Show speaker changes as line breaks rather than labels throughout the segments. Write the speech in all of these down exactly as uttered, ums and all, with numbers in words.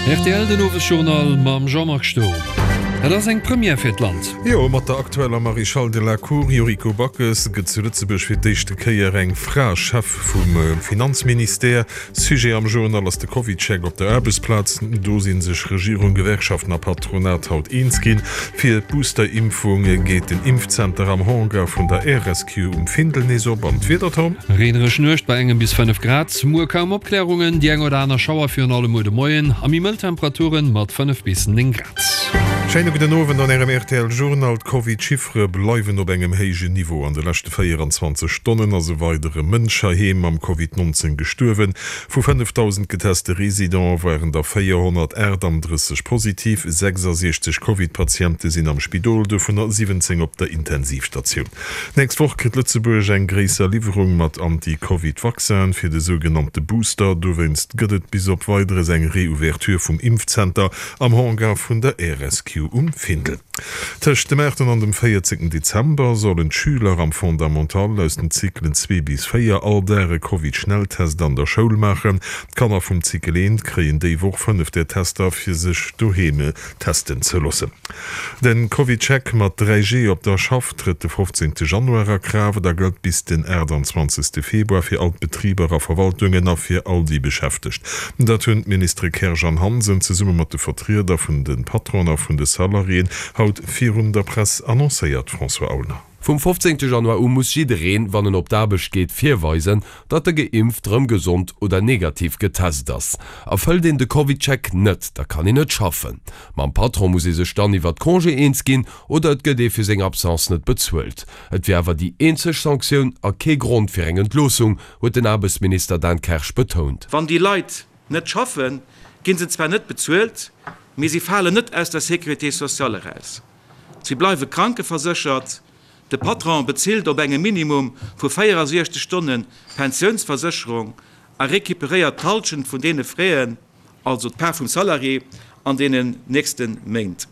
Rtl den Owesjournal mam Jean-Marc Sturm. Et ass eng Première fir d'Land.
Jo, mat der aktueller Maréchale de la Cour Yuriko Backes gëtt zu Lëtzebuerg fir d'éischte Kéier eng Fra Chef vum Finanzministère. Sujet am Journal ass de CovidCheck op der Aarbechtsplaz. Do si sech Regierung, Gewerkschaften a Patronat haut eens ginn. Fir d'Booster-Impfung geet den Impfzenter am Hangar vun der Air Rescue um Findel nees op. An d'Wieder, Tom?
Reenereg Nuecht bei engem bis fënnef Grad. Muer kaum Opklärungen, déi eng oder aner Schauer virun allem muer de Moien a méi mëll Temperaturen mat fënnef bis néng Grad.
Schéine gudden Owend an Ärem rtl Journal. D'Covid-Chiffere bleiwen op engem héijen Niveau. An de leschte véieranzwanzeg Stonnen ass e weidere Mënsch heiheem mam Covid nonzéng gestuerwen. Vu fënnefdausend geteste Residente waren der véierhonnertaachtanddrësseg positiv. Sechsasiechzeg Covid-Patiente sinn am Spidol, dovunner siwwenzéng op der Intensivstatioun. D'nächst Woch kritt Lëtzebuerg eng gréisser Liwwerung mat Anti-Covid-Vaccinen fir de sougenannte Booster. Dowéinst gëtt et bis op Weideres eng Reouverture vum Impfzenter am Hangar vun der Air Rescue um Findel. Tëscht dem aachten an dem véierzéngten Dezember sollen d'Schüler am Fondamental aus den Zyklen zwee bis véier all Dag e Covid-Schnelltest an der Schoul maachen. D'Kanner vum Zykel eent kréien déi Woch fënnef där Tester, fir sech doheem testen ze loossen. De CovidCheck mat dräi G op der Schaff trëtt de fofzéngte Januar a Kraaft a gëllt bis den aachtanzwanzegste Februar fir all d'Betriber a Verwaltungen a fir all déi Beschäftegt. Dat hunn d'Ministere Kersch an Hansen zesumme mat de Vertrieder vun de Patronen a vun de Salariéen haut virun der Press annoncéiert. François Aulner.
Vum fofzéngte Januar u muss jiddereen, wann en op d'Aarbecht geet, virweisen, datt e geimpft, rëm gesond oder negativ getest ass. Erfëllt een de CovidCheck net, da kann een net schaffen. Mam Patron muss ee sech dann iwwert Congé eens ginn oder et gëtt ee fir seng Absence net bezuelt. Et wier awer déi eenzeg Sanktioun a kee Grond fir eng Entloossung, huet den Aarbechtsminister Dan Kersch betount.
Wann déi Leit net schaffen, gi se zwar net bezuelt, mee si falen net aus der Sécurité sociale eraus. Si bleiwe krankeverséchert. De Patron bezilt op engem Minimum vu véierasiechzeg Stonne Pensiounsversécherung a recuperéiert d'Hallschent vun deene Fräen, also d'Part vum Salarié, an deenen nächste Méint.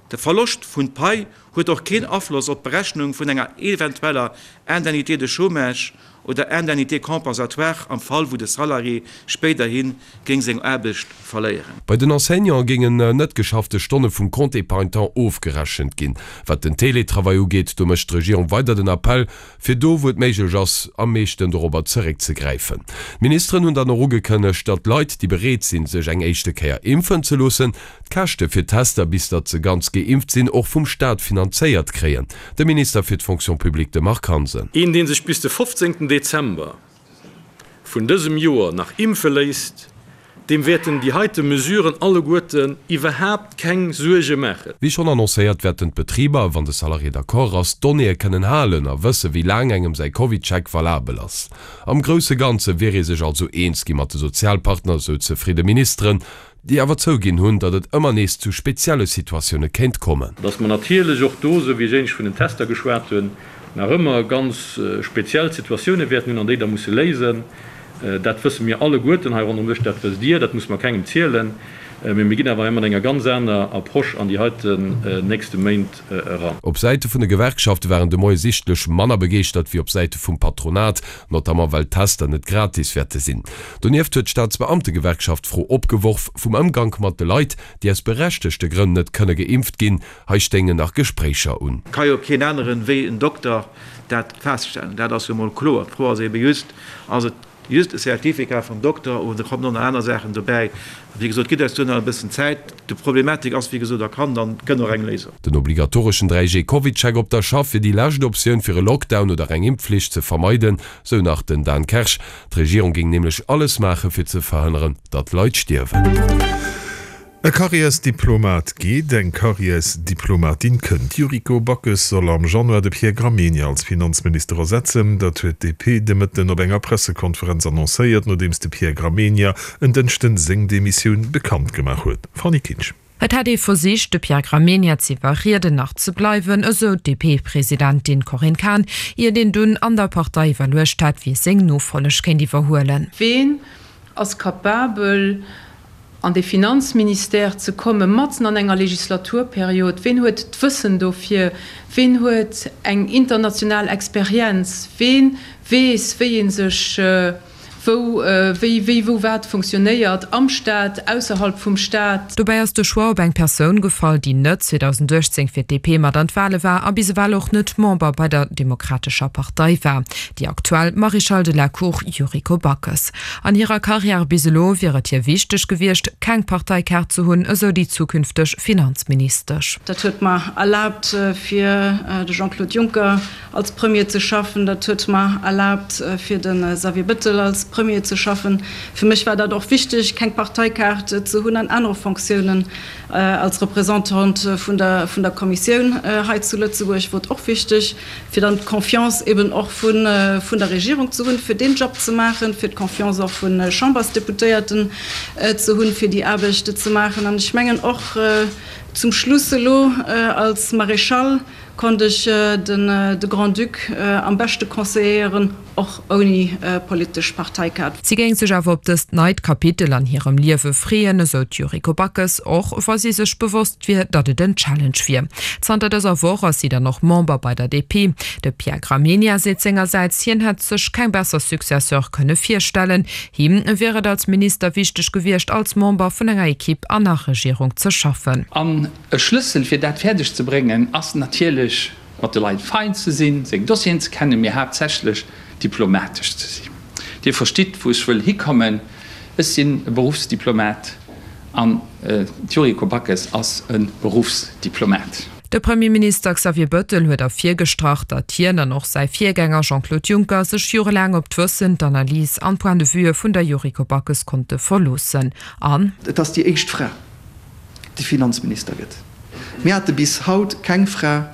De Verloscht vun Pai huet och keen Afloss op d'Berechnung vun enger eventueller Indemnité de chômage oder Indemnité compensatoire am Fall wou de Salarié spéiderhi géing seng Aarbecht verléieren.
Bei den Enseignante géingen net geschaffte Stonne vum Compte épargne temps ofgerechent ginn. Wat den Télétravail ugeet, do mécht d'Regierung weider den Appell, fir do wou et méiglech ass, am meeschten dorobber zeréckzegräifen. D'Ministeren hunn dann och ugekënnegt, datt Leit, déi bereet sinn, sech eng éischte Kéier impfen ze loossen, d'Käschte fir d'Tester, bis datt se ganz geimpft sinn, och vum Staat finanzéiert kréien. De Minister fir d'Fonction publique, de Marc Hansen.
Een, dee sech bis de fofzéngten Dezember vun dësem Joer nach impfe léisst, deem wäerten déi heite Mesuren alleguerten iwwerhaapt keng Suerge maachen.
Wéi schonn annoncéiert, wäerten d'Betriber, wann de Salarié d'accord ass, d'Donnéeë kënnen halen a wësse wéi laang engem säi CovidCheck valabel ass. Am grousse Ganze wier ee sech also eens gi mat de Sozialpartner, sou zefridde Ministeren, déi awer zouginn hunn, datt et ëmmer nees zu spezielle Situatioune kéint kommen.
Datt mer natierlech och do, esou wéi ech éinescht vun den Tester geschwat hunn, nach ëmmer ganz speziell Situatioune wäerten hunn an déi da musse léisen, dat wësse mir alleguerten hei ronderëm Dësch, dat wësst Dir, dat musse mer kengem zielen. Mee mir ginn awer hei mat enger ganz aner Approche an déi heiten nächste Méint eran.
Op Säite vun de Gewerkschafte waren de Moie sichtlech manner begeeschtert wéi op Säite vum Patronat, notamment well d'Tester net gratis wäerte sinn. Donieft huet d'Staatsbeamtegewerkschaft d'Fro opgeworf vum Ëmgank mat de Leit, déi aus berechtegte Grënn net kënne geimpft ginn. Hei stéingen nach Gespréicher un.
Ka jo keen aneren wéi en Dokter dat feststellen, dat ass jo mol kloer. D'Fro ass ebe just, ass et Just e Certificat vum Dokter oder kommen och nach aner Saachen dobäi? Wéi gesot, gitt eis do nach e bëssen Zäit. D'Problematik ass wéi gesot erkannt an et gëtt och eng Léisung.
Den obligatoreschen dräi G Covid-Check op der Schaff wier déi lescht Optioun fir e Lockdown oder eng Impfflicht ze vermeiden, sou nach den Dan Kersch. D'Regierung géing nämlech alles maache fir ze verhënneren, datt Leit stierwen.
E Karriärsdiplomat geet, eng Karriärsdiplomatin kënnt. D'Yuriko Backes soll am Januar de Pierre Gramegna als Finanzminister ersetzen. Dat huet d'DP de Mëtten op enger Pressekonferenz annoncéiert, nodeems de Pierre Gramegna en Dënschden seng Demissioun bekannt gemaach huet. Fanny Kinsch.
Et hätt ee versicht, de Pierre Gramegna z'iwwerrieden, nach ze bleiwen, esou d'DP-Presidentin Corinne Cahen, iert een dunn an der Partei iwwerluecht hätt, wie seng Nofolleg kéint iwwerhuelen.
Ween ass capabel, an de Finanzministère ze komme matzen an enger Legislaturperiod? Ween huet d'Wëssen dofir? Ween huet eng international Experienz? Wee weess, wéi ee sech wou wéi wéi wou wat funktionéiert, am Staat, ausserhalb vum Staat.
Dobäi ass de Choix op eng Persoun gefall, déi net zweedausenduechtzéng fir d'D P mat an d'Wale war a bis ewell och net Member bei der Demokratescher Partei war, déi aktuell Maréchale de la Cour Yuriko Backes. An hirer Karriär bis elo wier et hir wichteg gewiescht, keng Parteikaart ze hunn, esou déi zukünfteg Finanzministesch.
Dat huet mer erlaabt, fir de Jean-Claude Juncker als Premier ze schaffen. Dat huet mer erlaabt, fir de Xavier Bettel als Premier ze schaffen. Fir mech war dat och wichteg, keng Parteikaart ze hunn an anere Fonctiounen als Representant vun der vun der Kommissioun hei zu Lëtzebuerg wor et och wichteg, fir dann d'Confiance eben och vun vun der Regierung ze hunn, fir deen Job ze maachen, fir d'Confiance och vu Chambersdeputéierten ze hunn, fir déi Aarbecht ze maachen. An ech mengen och zum Schluss elo als Maréchal konnt ech den de Grand-Duc am beschte conseilléieren, och ouni politesch Parteikaart.
Si géing sech awer op dëst neit Kapitel an hirem Liewe freeën, esou d'Yuriko Backes, och wa si sech bewosst wier, datt et en Challenge wier. Zanter dëser Woch ass si dann och Member bei der D P. De Pierre Gramegna seet sengersäits, hien hätt sech keng besser Successeur kënne virstellen. Him wier et als Minister wichteg gewiescht, als Member vun enger Ekipp an der Regierung ze schaffen.
An e Schlëssel fir dat fäerdeg ze bréngen ass natierlech mat de Leit fein ze sinn, seng Dossieren ze kennen, mee haaptsächlech diplomatesch ze sinn. Dir verstitt wou ech wëll hikommen, ech sinn e Beruffsdiplomat an d'Yuriko Backes ass e Beruffsdiplomat.
De Premierminister Xavier Bettel huet ervirgestrach, datt hien an och säi Virgänger Jean-Claude Juncker sech jorelaang op d'Wëssen, d'Analys an d'Point de vueë vun der Yuriko Backes konnte verloossen. An.
Et ass déi éischt Fra, déi Finanzminister gëtt. Mir hate bis haut keng Fra,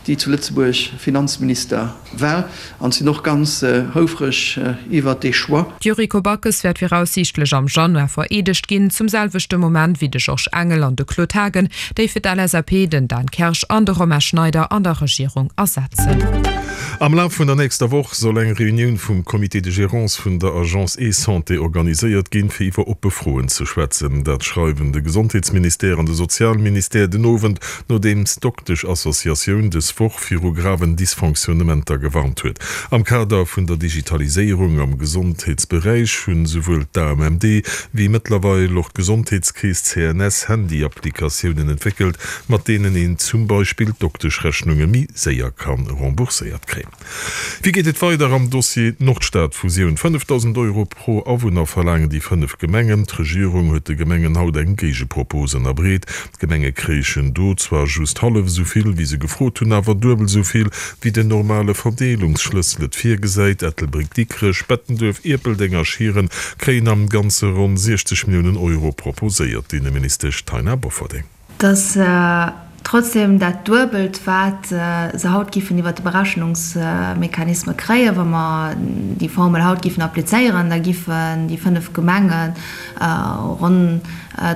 déi zu Lëtzebuerg Finanzminister war, an sinn och ganz houfreg iwwert dee Choix.
D'Yuriko Backes wäert viraussiichtlech am Januar vereedegt ginn, zum selwechte Moment wéi de Georges Engel an de Claude Haagen, déi fir d'L S A P den Dan Kersch an de Romain Schneider an der Regierung ersetzen.
Am Laf vun der nächster Woch soll eng Reunioun vum Comité de gérance vun der Agence eSanté organiséiert ginn, fir iwwer oppe Froen ze schwätzen. Dat schreiwen de Gesondheetsministère an de Sozialministère den Owend, nodeems d'Doktesch-Associatioun dës Woch viru graven Dysfonctionnementer gewarnt huet. Am Kader vun der Digitaliséierung am Gesondheetsberäich hunn esouwuel d'A M M D wéi mëttlerweil och d'Gesondheetskeess C N S Handy-Applikatiounen entwéckelt, mat deenen een zum Beispill d'Dokteschrechnunge méi séier ka rembourséiert kréien. Wéi geet et weider am Dossier Nordstad-Fusioun? fënnefdausend Euro pro Awunner verlaangen déi fënnef Gemengen. D'Regierung huet de Gemengen haut eng Géigepropos ënnerbreet. D'Gemenge kréichen do zwar just hallef esou vill, wéi se gefrot hunn, awer duebel esou vill, wéi den normale Verdeelungsschlëssel et virgesäit. Ettelbréck, Dikrech, Bettenduerf, Ierpeldeng a Schieren kréien am Ganze ronn siechzeg Milliounen Euro proposéiert, d'Inneministesch Taina Bofferding.
Dass trotzdem dat Duebelt, wat se haut giffen iwwert de Berechnungsmechanisme kréien, wa mer déi Formel haut giffen applizéieren, da giffen déi fënnef Gemenge ronn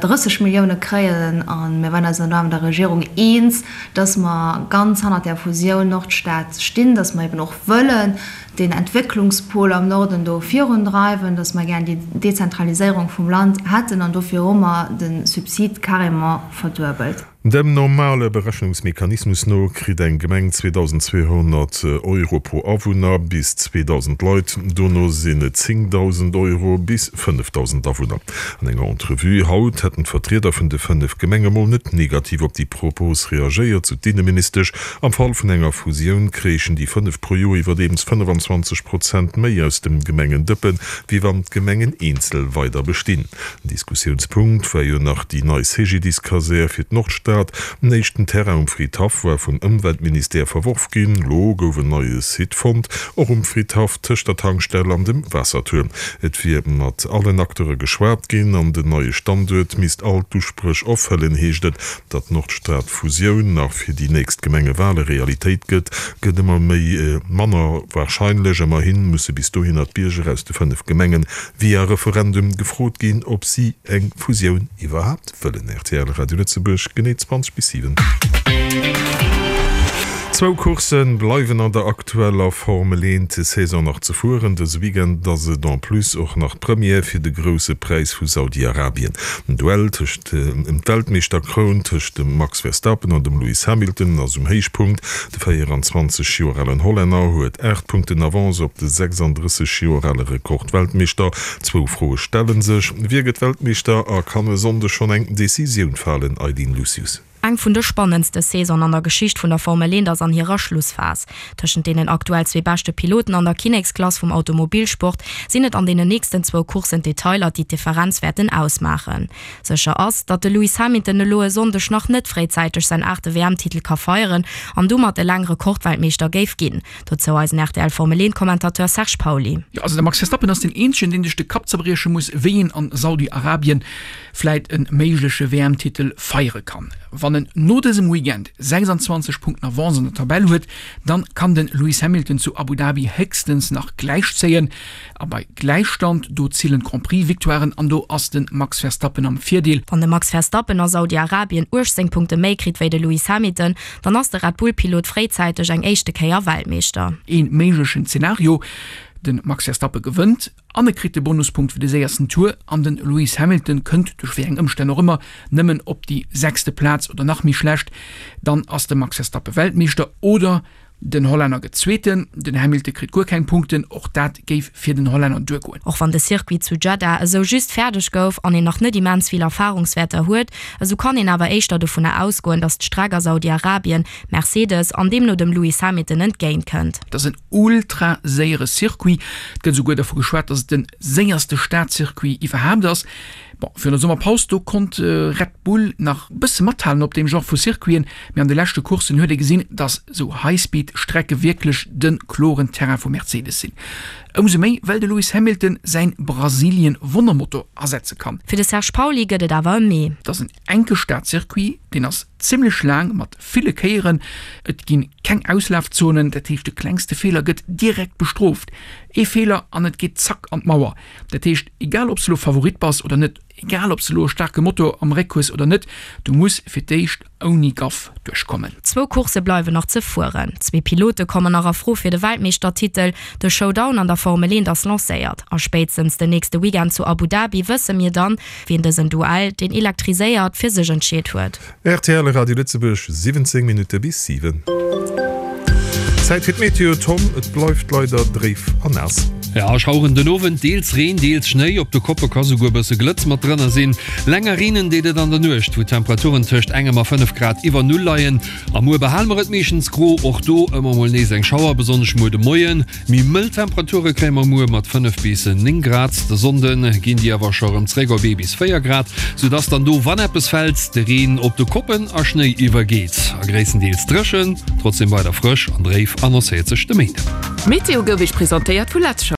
drësseg Millioune kréien. A mir waren eis dann mat der Regierung eens, dass mer ganz hannert där Fusioun Nordstad stinn, dass mer eben och wëllen den Entwécklungspol am Norden do virundreiwen, dass mer gär déi Dezentraliséierung vum Land hätten, an dofir hu mer de Subsid carrément verduebelt.
Dem normale Berechnungsmechanismus no kritt eng Gemeng zweedausendzweehonnert Euro pro Awunner bis zweedausend Leit, dono sinn et zéngdausend Euro bis fënnefdausend Awunner. An enger Entrevue haut hätten d'Vertrieder vun de fënnef Gemenge mol net negativ op déi Propos reagéiert, sou d'Inneministesch. Am Fall vun enger Fusioun kréichen déi fënnef pro Joer iwwerdeems fënnefanzwanzeg Prozent méi aus dem Gemengendëppen, wéi wann d'Gemengen eenzel weider bestinn. En Diskussiounspunkt war jo nach déi nei C G D I S-Kasär fir d'Nordstad. En éischten Terrain um Fridhaff war vum Ëmweltministère verworf ginn. Lo gouf en neie Site fonnt, och um Fridhaff, tëscht der Tankstell an dem Waassertuerm. Et wier mat allen Acteure geschwat ginn an den neie Standuert misst all d'Uspréch erfëllen, heescht et. Datt d'Nordstad-Fusioun nach fir déi nächst Gemengewale Realitéit gëtt, gëtt ëmmer méi manner warscheinlech. Ëmmerhi musse bis dohinner d'Bierger aus de fënnef Gemengen via Referendum gefrot ginn, ob si eng Fusioun iwwerhaapt wëllen. R T L Radio Lëtzebuerg, genee zwanzeg bis siwen. Zwou Coursse bleiwen an der aktueller Formel eent Saison nach ze fueren. Dëse Weekend ass et en plus och nach d'Première fir de Grousse Präis vu Saudi-Arabien. Den Duell tëscht ëm d'Weltmeeschterkroun tëscht dem Max Verstappen an dem Lewis Hamilton ass um Héichpunkt. De véierundzwanzeg Joer alen Hollänner huet aacht Punkten Avance op de sechsanddrësseg Joer ale Rekordweltmeeschter. Zwou Froe stelle sech, Wie gëtt Weltmeeschter a kann e Sonndeg schonn eng Decisioun falen? Eileen Lucius.
Eng vun de spannendste Saisonen an der Geschicht vun der Formel eent ass an hirer Schlussphas. Tëschent deenen aktuell zwee beschte Piloten an der Kinneksklass vum Automobilsport sinn et an deenen nächsten zwou Courssen d'Detailer, déi d'Differenz wäerten ausmaachen. Sécher ass, datt de Lewis Hamilton elo e Sonndeg nach net fréizäiteg säin aachte W M-Titel ka feieren an domat eleng Rekordweltmeeschter géif ginn. Dozou eisen R T L Formel eent Commentateur Serge Pauly.
Jo, also de Max Verstappen ass deen eenzegen, deen sech de Kapp zerbrieche muss, wéi een an Saudi-Arabien vläit e méigleche W M-Titel feiere kann. Wann en no dësem Weekend sechsandzwanzeg Punkten Avance an der Tabell huet, dann kann de Lewis Hamilton zu Abu Dhabi héchstens nach gläichzéien. A bei Gläichstand, do zielen d'Grand-Prix-Victoiren an do ass de Max Verstappen am Virdeel.
Wann de Max Verstappen a Saudi-Arabien uechtzéng Punkte méi kritt wéi de Lewis Hamilton, dann ass de Red Bull-Pilot fréizäiteg eng éischte Kéier Weltmeeschter.
Ee méiglechen Zenario, De Max Verstappen gewënnt an e kritt de Bonuspunkt fir de séiersten Tour an de Lewis Hamilton kënnt, duerch wéi eng Ëmstänn och ëmmer, nëmmen op déi sechste Plaz oder nach méi schlecht. Dann ass de Max Verstappen Weltmeeschter oder den Hollänner gëtt Zweeten, den Hamilton kritt guer keng Punkten. Och dat géif fir den Hollänner duergoen.
Och wann de Circuit zu Jeddah esou just fäerdeg gouf an een nach net immens vill Erfarungswäerter huet, esou kann een awer éischter dovunner ausgoen, datt d'Streck a Saudi-Arabien Mercedes an deemno dem Lewis Hamilton entgéint kënnt.
Et ass en ultra séiere Circuit. Et gëtt esouguer dervu geschwat, datt et de séierste Stadcircuit iwwerhaapt ass. Bon, virun der Summerpaus, do konnt Red Bull nach e bësse mathalen op deem Genre vu Circuiten, mee an de leschte Courssen huet ee gesinn, datt esou High-Speed-Strecke wierklech de kloren Terrain vu Mercedes sinn. Ëmsou méi, well de Lewis Hamilton säin Brasilien-Wonnermotor asetze kann.
Fir de Serge Pauly gëtt et awer e Mee.
Et ass en enke Stadcircuit, deen ass zimmlech laang mat ville Kéieren. Et gi keng Auslafzonen, dat heescht de klengste Feeler gëtt direkt bestrooft. Ee Feeler an et geet zack an d'Mauer. Dat heescht, egal ob s de elo Favorit bass oder net, egal ob s de elo e staarke Motor am Réck hues oder net, du muss fir d'éischt ouni Gaff duerchkommen.
Zwou Coursse bleiwen nach ze fueren. Zwee Pilote kommen nach a Fro fir de Weltmeeschtertitel. De Showdown an der Formel eent ass lancéiert a spéitstens den nächste Weekend zu Abu Dhabi wësse mir dann, wien dësen Duell, deen elektriséiert, fir sech entscheet huet.
R T L Radio Lëtzebuerg, siwwenzéng Minutte bis siwen. Zäit fir d'Meteo, Tom, et bleift leider dréif an naass.
Ja, Schaueren den Owend, deels Reen, deels Schnéi, op de Koppe ka souguer e bësse Glëtz mat drënner sinn. Länger reenen deet et an der Nuecht, wou d'Temperaturen tëscht engem a fënnef Grad iwwer Null leien. A muer behale mer et meeschtens gro, och do ëmmer mol nees eng Schauer, besonnesch muer de Moien. Méi mëll Temperature kréie mer muer mat fënnef bis néng Grad. De Sonnde ginn déi awer scho rëm zréck op ee bis véier Grad, soudass dann do, wann eppes fält, de Reen op de Koppen a Schnéi iwwergeet a gréisstendeels dréchen, trotzdem weider frësch an dréif annoncéiert sech de Méinden.
D'Meteo gouf Iech presentéiert vu Letzshop.